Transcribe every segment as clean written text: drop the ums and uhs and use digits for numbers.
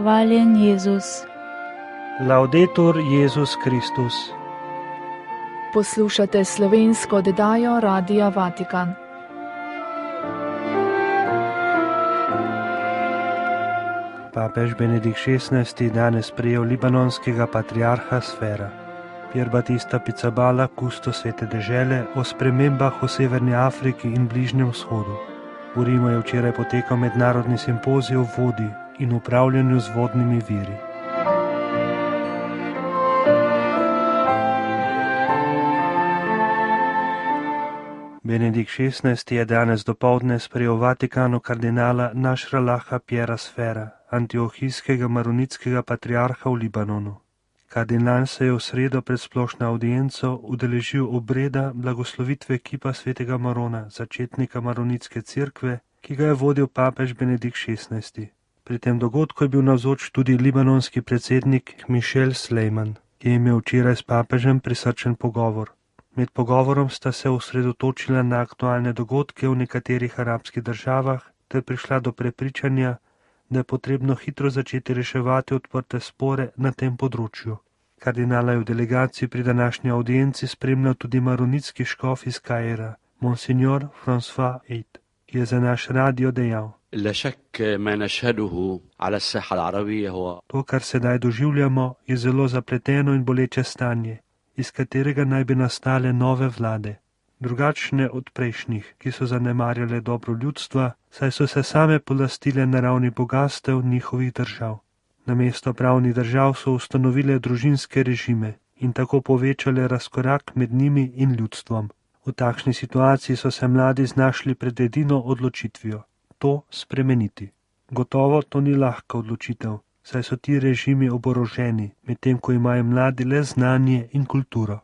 Hvaljen Jezus. Laudetur Jezus Kristus. Poslušate slovensko oddajo Radia Vatikan. Papež Benedikt XVI danes prejel libanonskega patriarha Sfera. Pier Battista Pizzaballa, kustos Svete dežele, o spremembah v Severni Afriki in Bližnjem vzhodu. V Rimu je včeraj potekal mednarodni simpozij o vodi in upravljanju z vodnimi viri. Benedikt XVI je danes dopoldne sprejel v Vatikanu kardinala Nasralaha Piera Sfera, antiohijskega maronitskega patriarha v Libanonu. Kardinal se je v sredo pred splošno avdienco udeležil obreda blagoslovitve kipa svetega Marona, začetnika maronitske cerkve, ki ga je vodil papež Benedikt XVI. Pri tem dogodku je bil navzoč tudi libanonski predsednik Michel Sleiman, ki je imel včeraj s papežem prisrčen pogovor. Med pogovorom sta se osredotočila na aktualne dogodke v nekaterih arabskih državah ter prišla do prepričanja, da je potrebno hitro začeti reševati odprte spore na tem področju. Kardinala je v delegaciji pri današnji audienci spremljal tudi maronitski škof iz Kaira, Monsignor François Eid, ki je za naš radio dejal: To, kar sedaj doživljamo, je zelo zapleteno in boleče stanje, iz katerega naj bi nastale nove vlade, drugačne od prejšnjih, ki so zanemarjale dobro ljudstva, saj so se same polastile naravni bogastev njihovih držav. Namesto pravnih držav so ustanovile družinske režime in tako povečale razkorak med njimi in ljudstvom. V takšni situaciji so se mladi znašli pred edino odločitvijo: to spremeniti. Gotovo to ni lahka odločitev, saj so ti režimi oboroženi, medtem ko imajo mladi le znanje in kulturo.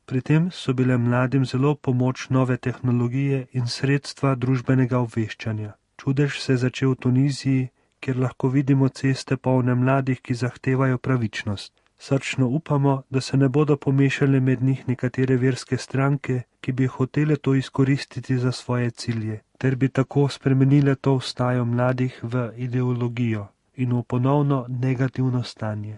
Pri tem so bile mladim zelo pomoč nove tehnologije in sredstva družbenega obveščanja. Čudež se je začel v Tuniziji, kjer lahko vidimo ceste polne mladih, ki zahtevajo pravičnost. Srčno upamo, da se ne bodo pomešale med njih nekatere verske stranke, ki bi hotele to izkoristiti za svoje cilje, ter bi tako spremenile to vstajo mladih v ideologijo in v ponovno negativno stanje.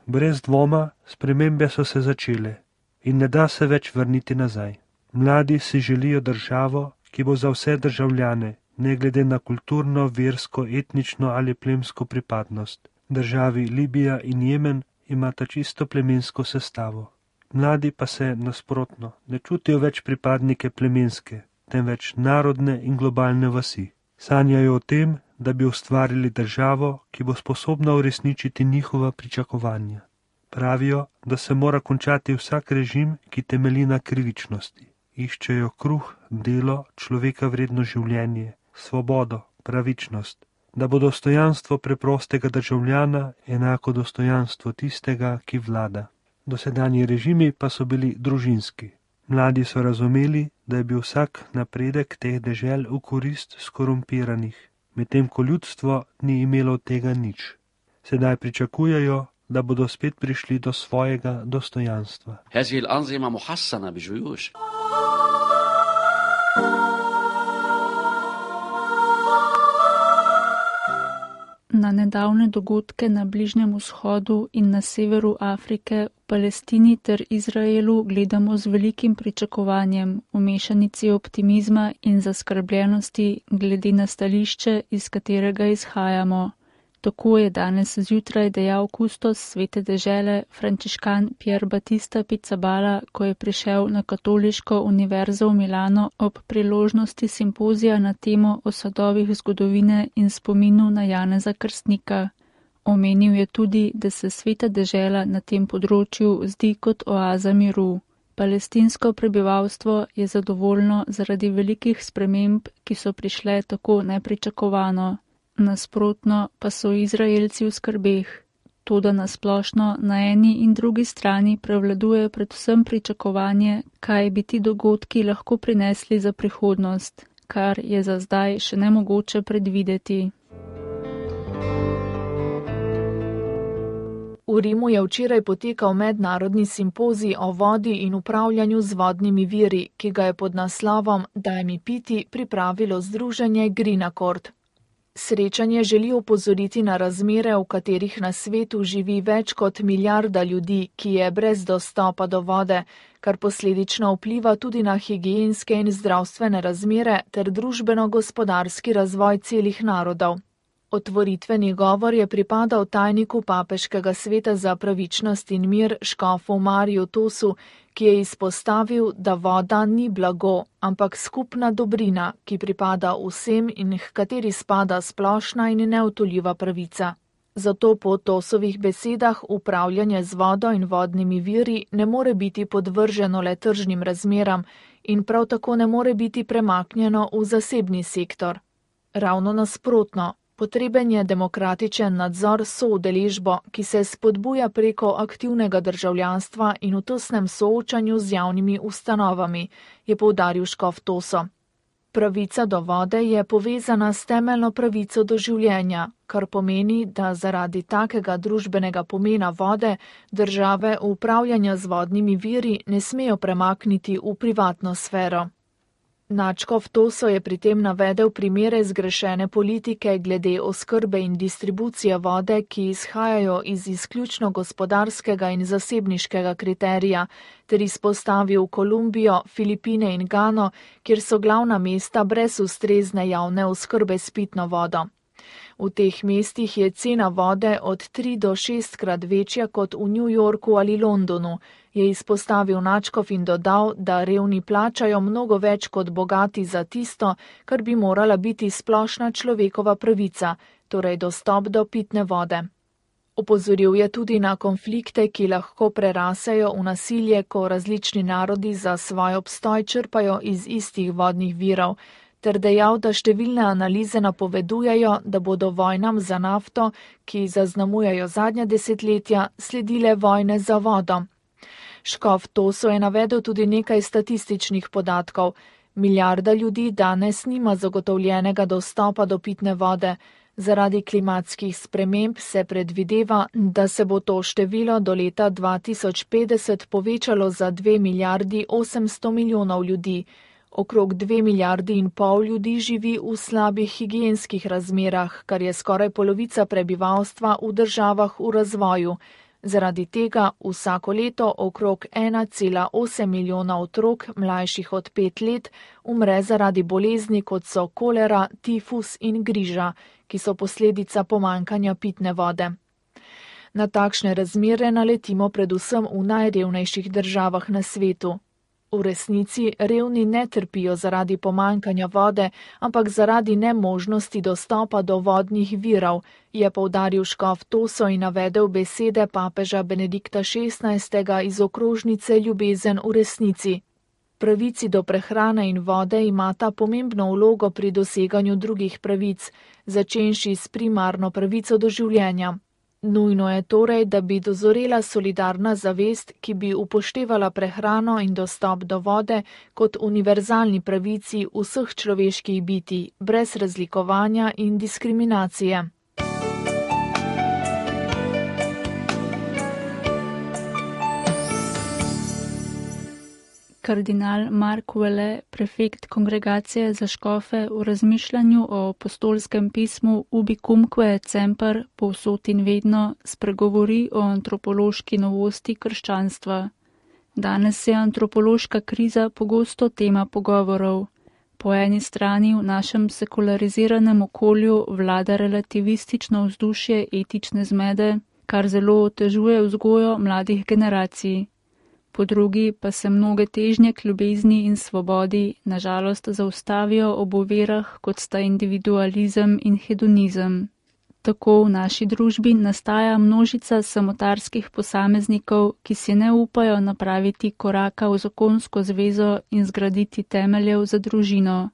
Brez dvoma, spremembe so se začele in ne da se več vrniti nazaj. Mladi si želijo državo, ki bo za vse državljane, ne glede na kulturno, versko, etnično ali plemsko pripadnost. Državi Libija in Jemen imata čisto plemensko sestavo. Mladi pa se nasprotno ne čutijo več pripadnike plemenske, temveč narodne in globalne vasi. Sanjajo o tem, da bi ustvarili državo, ki bo sposobna uresničiti njihova pričakovanja. Pravijo, da se mora končati vsak režim, ki temelji na krivičnosti. Iščejo kruh, delo, človeka vredno življenje, svobodo, pravičnost, da bo dostojanstvo preprostega državljana enako dostojanstvo tistega, ki vlada. Dosedanji režimi pa so bili družinski. Mladi so razumeli, da je bil vsak napredek teh dežel v korist skorumpiranih, medtem ko ljudstvo ni imelo tega nič. Sedaj pričakujejo, da bodo spet prišli do svojega dostojanstva. Na nedavne dogodke na Bližnjem vzhodu in na severu Afrike, v Palestini ter Izraelu gledamo z velikim pričakovanjem, v mešanici optimizma in zaskrbljenosti glede na stališče, iz katerega izhajamo. Tako je danes zjutraj dejal kustos Svete dežele frančiškan Pier Battista Pizzaballa, ko je prišel na Katoliško univerzo v Milano ob priložnosti simpozija na temo o sadovih zgodovine in spominu na Janeza Krstnika. Omenil je tudi, da se Sveta dežela na tem področju zdi kot oaza miru. Palestinsko prebivalstvo je zadovoljno zaradi velikih sprememb, ki so prišle tako nepričakovano. Nasprotno pa so Izraelci v skrbeh. Toda nasplošno na eni in drugi strani prevladuje predvsem pričakovanje, kaj bi ti dogodki lahko prinesli za prihodnost, kar je za zdaj še nemogoče predvideti. V Rimu je včeraj potekal mednarodni simpozij o vodi in upravljanju z vodnimi viri, ki ga je pod naslovom Daj mi piti pripravilo združenje Green Accord. Srečanje želi opozoriti na razmere, v katerih na svetu živi več kot milijarda ljudi, ki je brez dostopa do vode, kar posledično vpliva tudi na higienske in zdravstvene razmere ter družbeno-gospodarski razvoj celih narodov. Otvoritveni govor je pripadal tajniku Papeškega sveta za pravičnost in mir škofu Mariju Tosu, ki je izpostavil, da voda ni blago, ampak skupna dobrina, ki pripada vsem in h kateri spada splošna in neodtujljiva pravica. Zato po Tosovih besedah upravljanje z vodo in vodnimi viri ne more biti podvrženo le tržnim razmeram in prav tako ne more biti premaknjeno v zasebni sektor. Ravno nasprotno. Potreben je demokratičen nadzor s soudeležbo, ki se spodbuja preko aktivnega državljanstva in v tesnem soočanju z javnimi ustanovami, je poudaril škof Toso. Pravica do vode je povezana s temeljno pravico do življenja, kar pomeni, da zaradi takega družbenega pomena vode države upravljanja z vodnimi viri ne smejo premakniti v privatno sfero. Nadškof Toso je pri tem navedel primere zgrešene politike glede oskrbe in distribucije vode, ki izhajajo iz izključno gospodarskega in zasebniškega kriterija, ter izpostavil Kolumbijo, Filipine in Gano, kjer so glavna mesta brez ustrezne javne oskrbe s pitno vodo. V teh mestih je cena vode od 3 do 6 krat večja kot v New Yorku ali Londonu, je izpostavil nadškof in dodal, da revni plačajo mnogo več kot bogati za tisto, kar bi morala biti splošna človekova pravica, torej dostop do pitne vode. Opozoril je tudi na konflikte, ki lahko prerasejo v nasilje, ko različni narodi za svoj obstoj črpajo iz istih vodnih virov, ter dejal, da številne analize napovedujejo, da bodo vojnam za nafto, ki zaznamujejo zadnja desetletja, sledile vojne za vodo. Škof Toso je navedel tudi nekaj statističnih podatkov. Milijarda ljudi danes nima zagotovljenega dostopa do pitne vode. Zaradi klimatskih sprememb se predvideva, da se bo to število do leta 2050 povečalo za 2 milijardi 800 milijonov ljudi. Okrog 2 milijardi in pol ljudi živi v slabih higienskih razmerah, kar je skoraj polovica prebivalstva v državah v razvoju. Zaradi tega vsako leto okrog 1,8 milijona otrok mlajših od 5 let umre zaradi bolezni, kot so kolera, tifus in griža, ki so posledica pomanjkanja pitne vode. Na takšne razmere naletimo predvsem v najrevnejših državah na svetu. V resnici revni ne trpijo zaradi pomanjkanja vode, ampak zaradi nemožnosti dostopa do vodnih virov, je poudaril škof Toso in navedel besede papeža Benedikta XVI. Iz okrožnice Ljubezen v resnici. Pravici do prehrane in vode imata pomembno vlogo pri doseganju drugih pravic, začenši s primarno pravico do življenja. Nujno je torej, da bi dozorela solidarna zavest, ki bi upoštevala prehrano in dostop do vode kot univerzalni pravici vseh človeških bitij, brez razlikovanja in diskriminacije. Kardinal Mark Vele, prefekt kongregacije za škofe, v razmišljanju o apostolskem pismu Ubicumque et semper, povsod in vedno, spregovori o antropološki novosti krščanstva. Danes je antropološka kriza pogosto tema pogovorov. Po eni strani v našem sekulariziranem okolju vlada relativistično vzdušje etične zmede, kar zelo otežuje vzgojo mladih generacij. Po drugi pa se mnoge težnje k ljubezni in svobodi nažalost zaustavijo ob ovirah, kot sta individualizem in hedonizem. Tako v naši družbi nastaja množica samotarskih posameznikov, ki si ne upajo napraviti koraka v zakonsko zvezo in zgraditi temeljev za družino.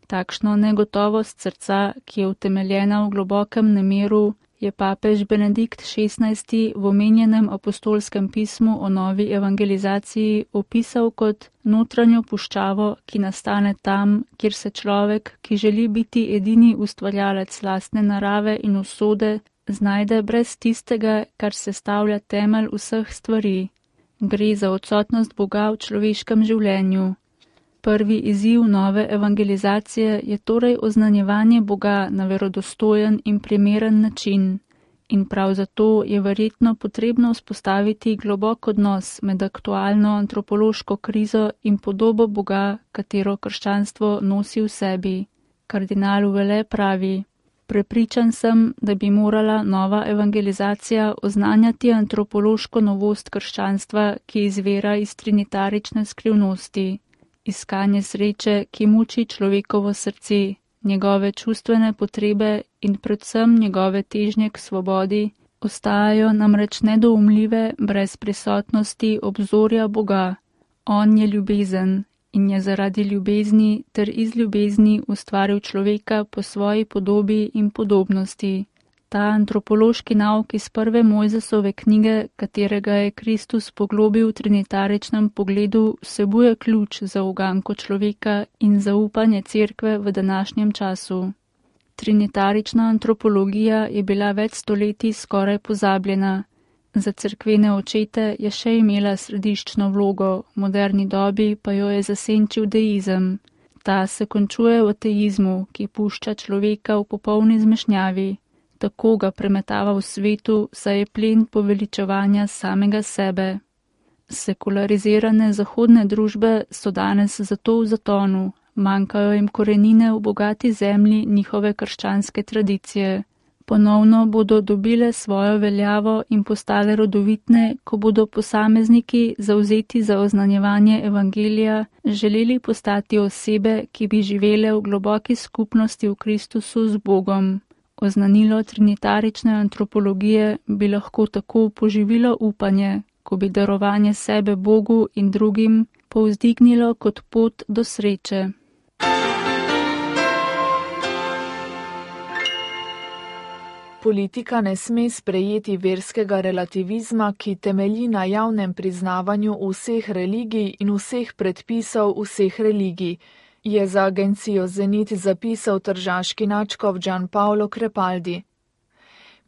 Takšno negotovost srca, ki je utemeljena v globokem nemiru, je papež Benedikt XVI. V omenjenem apostolskem pismu o novi evangelizaciji opisal kot notranjo puščavo, ki nastane tam, kjer se človek, ki želi biti edini ustvarjalec lastne narave in usode, znajde brez tistega, kar sestavlja temelj vseh stvari. Gre za odsotnost Boga v človeškem življenju. Prvi izziv nove evangelizacije je torej oznanjevanje Boga na verodostojen in primeren način. In prav zato je verjetno potrebno vzpostaviti globok odnos med aktualno antropološko krizo in podobo Boga, katero krščanstvo nosi v sebi. Kardinal Ouellet pravi: Prepričan sem, da bi morala nova evangelizacija oznanjati antropološko novost krščanstva, ki izvira iz trinitarične skrivnosti. Iskanje sreče, ki muči človekovo srce, njegove čustvene potrebe in predvsem njegove težnje k svobodi, ostajajo namreč nedoumljive brez prisotnosti obzorja Boga. On je ljubezen in je zaradi ljubezni ter iz ljubezni ustvaril človeka po svoji podobi in podobnosti. Ta antropološki nauk iz prve Mojzesove knjige, katerega je Kristus poglobil v trinitaričnem pogledu, vsebuje ključ za uganko človeka in zaupanje cerkve v današnjem času. Trinitarična antropologija je bila več stoletij skoraj pozabljena. Za cerkvene očete je še imela središčno vlogo, v moderni dobi pa jo je zasenčil deizem. Ta se končuje v ateizmu, ki pušča človeka v popolni zmešnjavi. Tako ga premetava v svetu, saj je plen poveličevanja samega sebe. Sekularizirane zahodne družbe so danes zato v zatonu, manjkajo jim korenine v bogati zemlji njihove krščanske tradicije. Ponovno bodo dobile svojo veljavo in postale rodovitne, ko bodo posamezniki zavzeti za oznanjevanje evangelija želeli postati osebe, ki bi živele v globoki skupnosti v Kristusu z Bogom. Oznanilo trinitarične antropologije bi lahko tako poživilo upanje, ko bi darovanje sebe Bogu in drugim povzdignilo kot pot do sreče. Politika ne sme sprejeti verskega relativizma, ki temelji na javnem priznavanju vseh religij in vseh predpisov vseh religij, je za agencijo Zenit zapisal tržaški nadškof Gianpaolo Crepaldi.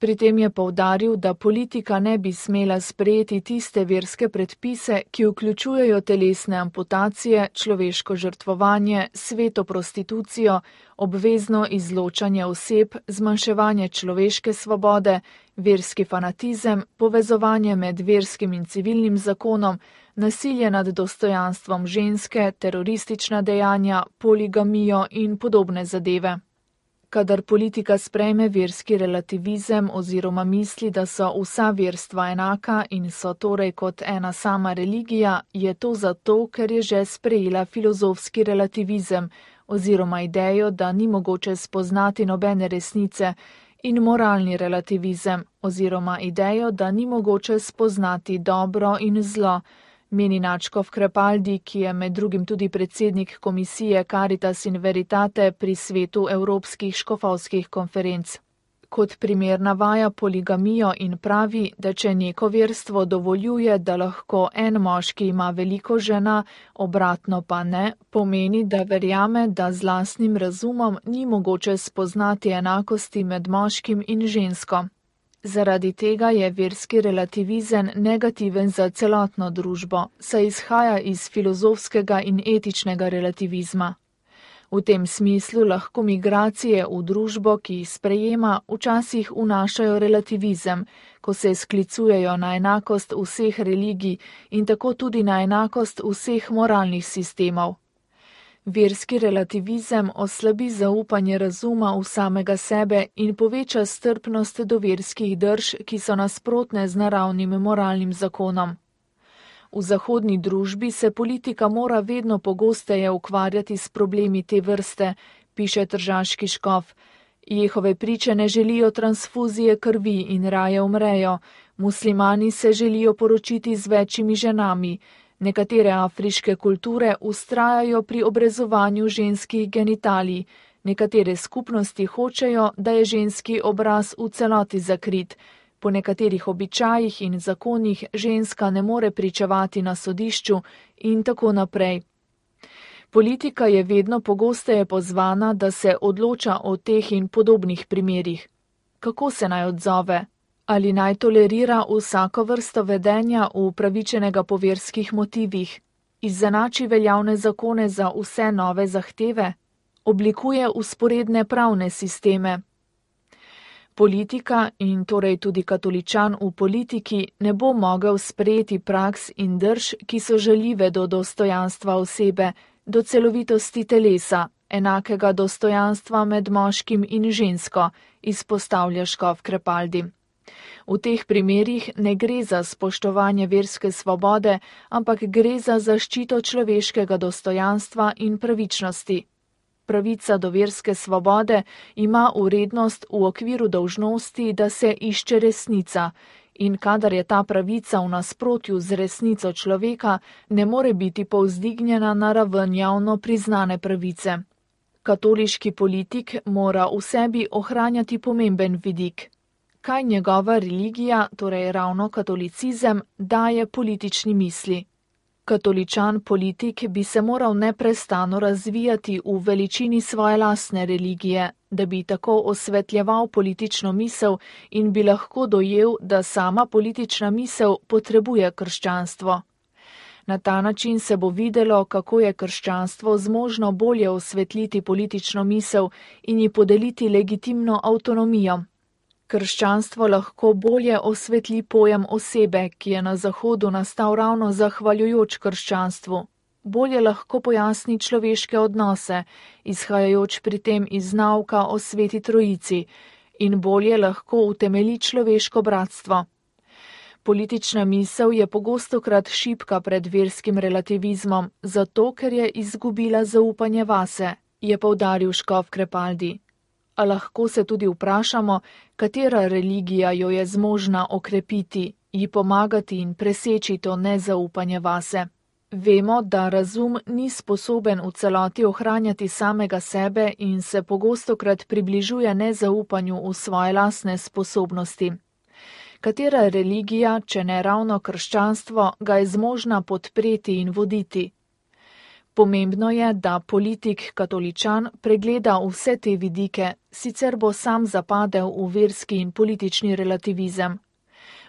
Pri tem je poudaril, da politika ne bi smela sprejeti tiste verske predpise, ki vključujejo telesne amputacije, človeško žrtvovanje, sveto prostitucijo, obvezno izločanje oseb, zmanjševanje človeške svobode, verski fanatizem, povezovanje med verskim in civilnim zakonom, nasilje nad dostojanstvom ženske, teroristična dejanja, poligamijo in podobne zadeve. Kadar politika sprejme verski relativizem oziroma misli, da so vsa verstva enaka in so torej kot ena sama religija, je to zato, ker je že sprejela filozofski relativizem oziroma idejo, da ni mogoče spoznati nobene resnice, in moralni relativizem oziroma idejo, da ni mogoče spoznati dobro in zlo, meni nadškof Crepaldi, ki je med drugim tudi predsednik komisije Caritas in Veritate pri svetu evropskih škofovskih konferenc. Kot primer navaja poligamijo in pravi, da če neko verstvo dovoljuje, da lahko en moški ima veliko žena, obratno pa ne, pomeni, da verjame, da z lastnim razumom ni mogoče spoznati enakosti med moškim in žensko. Zaradi tega je verski relativizem negativen za celotno družbo, saj izhaja iz filozofskega in etičnega relativizma. V tem smislu lahko migracije v družbo, ki jih sprejema, včasih vnašajo relativizem, ko se sklicujejo na enakost vseh religij in tako tudi na enakost vseh moralnih sistemov. Verski relativizem oslabi zaupanje razuma v samega sebe in poveča strpnost do verskih drž, ki so nasprotne z naravnim moralnim zakonom. V zahodni družbi se politika mora vedno pogosteje ukvarjati s problemi te vrste, piše tržaški škof. Jehove priče ne želijo transfuzije krvi in raje umrejo, muslimani se želijo poročiti z večjimi ženami, nekatere afriške kulture vztrajajo pri obrezovanju ženskih genitalij, nekatere skupnosti hočejo, da je ženski obraz v celoti zakrit, po nekaterih običajih in zakonih ženska ne more pričevati na sodišču in tako naprej. Politika je vedno pogosteje pozvana, da se odloča o teh in podobnih primerih. Kako se naj odzove? Ali naj tolerira vsako vrsto vedenja upravičenega po verskih motivih? izenači veljavne zakone za vse nove zahteve, oblikuje vzporedne pravne sisteme. Politika in torej tudi katoličan v politiki ne bo mogel sprejeti praks in drž, ki so žaljive do dostojanstva osebe, do celovitosti telesa, enakega dostojanstva med moškim in žensko, izpostavlja škof Krepaldi. V teh primerih ne gre za spoštovanje verske svobode, ampak gre za zaščito človeškega dostojanstva in pravičnosti. Pravica do verske svobode ima vrednost v okviru dolžnosti, da se išče resnica, in kadar je ta pravica v nasprotju z resnico človeka, ne more biti povzdignjena na raven javno priznane pravice. Katoliški politik mora v sebi ohranjati pomemben vidik. Kaj njegova religija, torej ravno katolicizem, daje politični misli? Katoličan politik bi se moral neprestano razvijati v veličini svoje lastne religije, da bi tako osvetljeval politično misel in bi lahko dojel, da sama politična misel potrebuje krščanstvo. Na ta način se bo videlo, kako je krščanstvo zmožno bolje osvetliti politično misel in ji podeliti legitimno avtonomijo. Krščanstvo lahko bolje osvetli pojem osebe, ki je na Zahodu nastal ravno zahvaljujoč krščanstvu. Bolje lahko pojasni človeške odnose, izhajajoč pri tem iz nauka o Sveti Trojici, in bolje lahko utemeli človeško bratstvo. Politična misel je pogostokrat šibka pred verskim relativizmom, zato ker je izgubila zaupanje vase, je poudaril škof Krepaldi. A lahko se tudi vprašamo, katera religija jo je zmožna okrepiti, ji pomagati in preseči to nezaupanje vase. Vemo, da razum ni sposoben v celoti ohranjati samega sebe in se pogostokrat približuje nezaupanju v svoje lastne sposobnosti. Katera religija, če ne ravno krščanstvo, ga je zmožna podpreti in voditi? Pomembno je, da politik katoličan pregleda vse te vidike, sicer bo sam zapadel v verski in politični relativizem.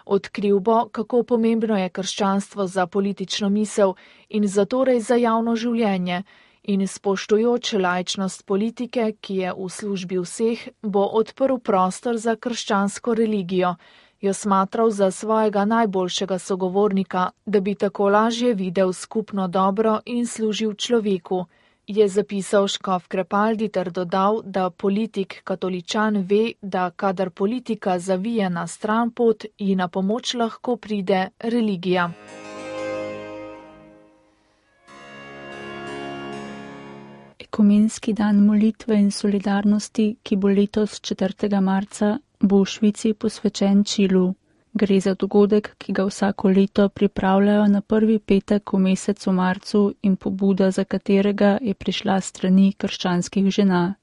Odkril bo, kako pomembno je krščanstvo za politično misel in zatorej za javno življenje, in spoštujoč laičnost politike, ki je v službi vseh, bo odprl prostor za krščansko religijo, jo smatral za svojega najboljšega sogovornika, da bi tako lažje videl skupno dobro in služil človeku, je zapisal škof Krepaldi ter dodal, da politik katoličan ve, da kadar politika zavije na stran pot, ji na pomoč lahko pride religija. Ekumenski dan molitve in solidarnosti, ki bo letos 4. marca, bo v Švici posvečen Čilu. Gre za dogodek, ki ga vsako leto pripravljajo na prvi petek v mesecu marcu in pobuda, za katerega je prišla strani krščanskih žena.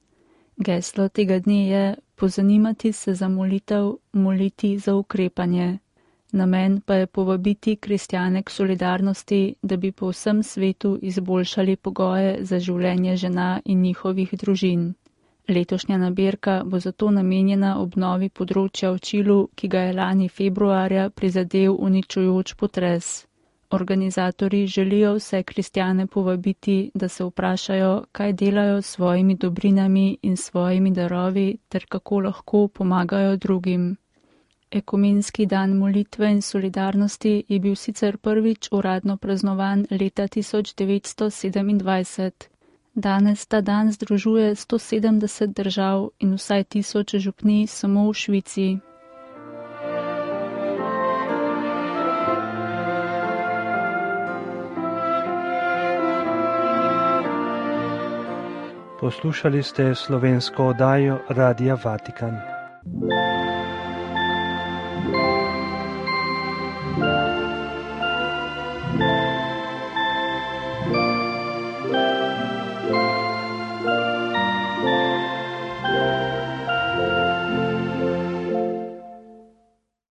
Geslo tega dne je pozanimati se za molitev, moliti za ukrepanje. Namen pa je povabiti kristjane k solidarnosti, da bi po vsem svetu izboljšali pogoje za življenje žena in njihovih družin. Letošnja nabirka bo zato namenjena obnovi področja v Čilu, ki ga je lani februarja prizadel uničujoč potres. Organizatorji želijo vse kristjane povabiti, da se vprašajo, kaj delajo s svojimi dobrinami in svojimi darovi ter kako lahko pomagajo drugim. Ekumenski dan molitve in solidarnosti je bil sicer prvič uradno praznovan leta 1927. Danes ta dan združuje 170 držav in vsaj 1000 župnij samo v Švici. Poslušali ste slovensko oddajo Radia Vatikan.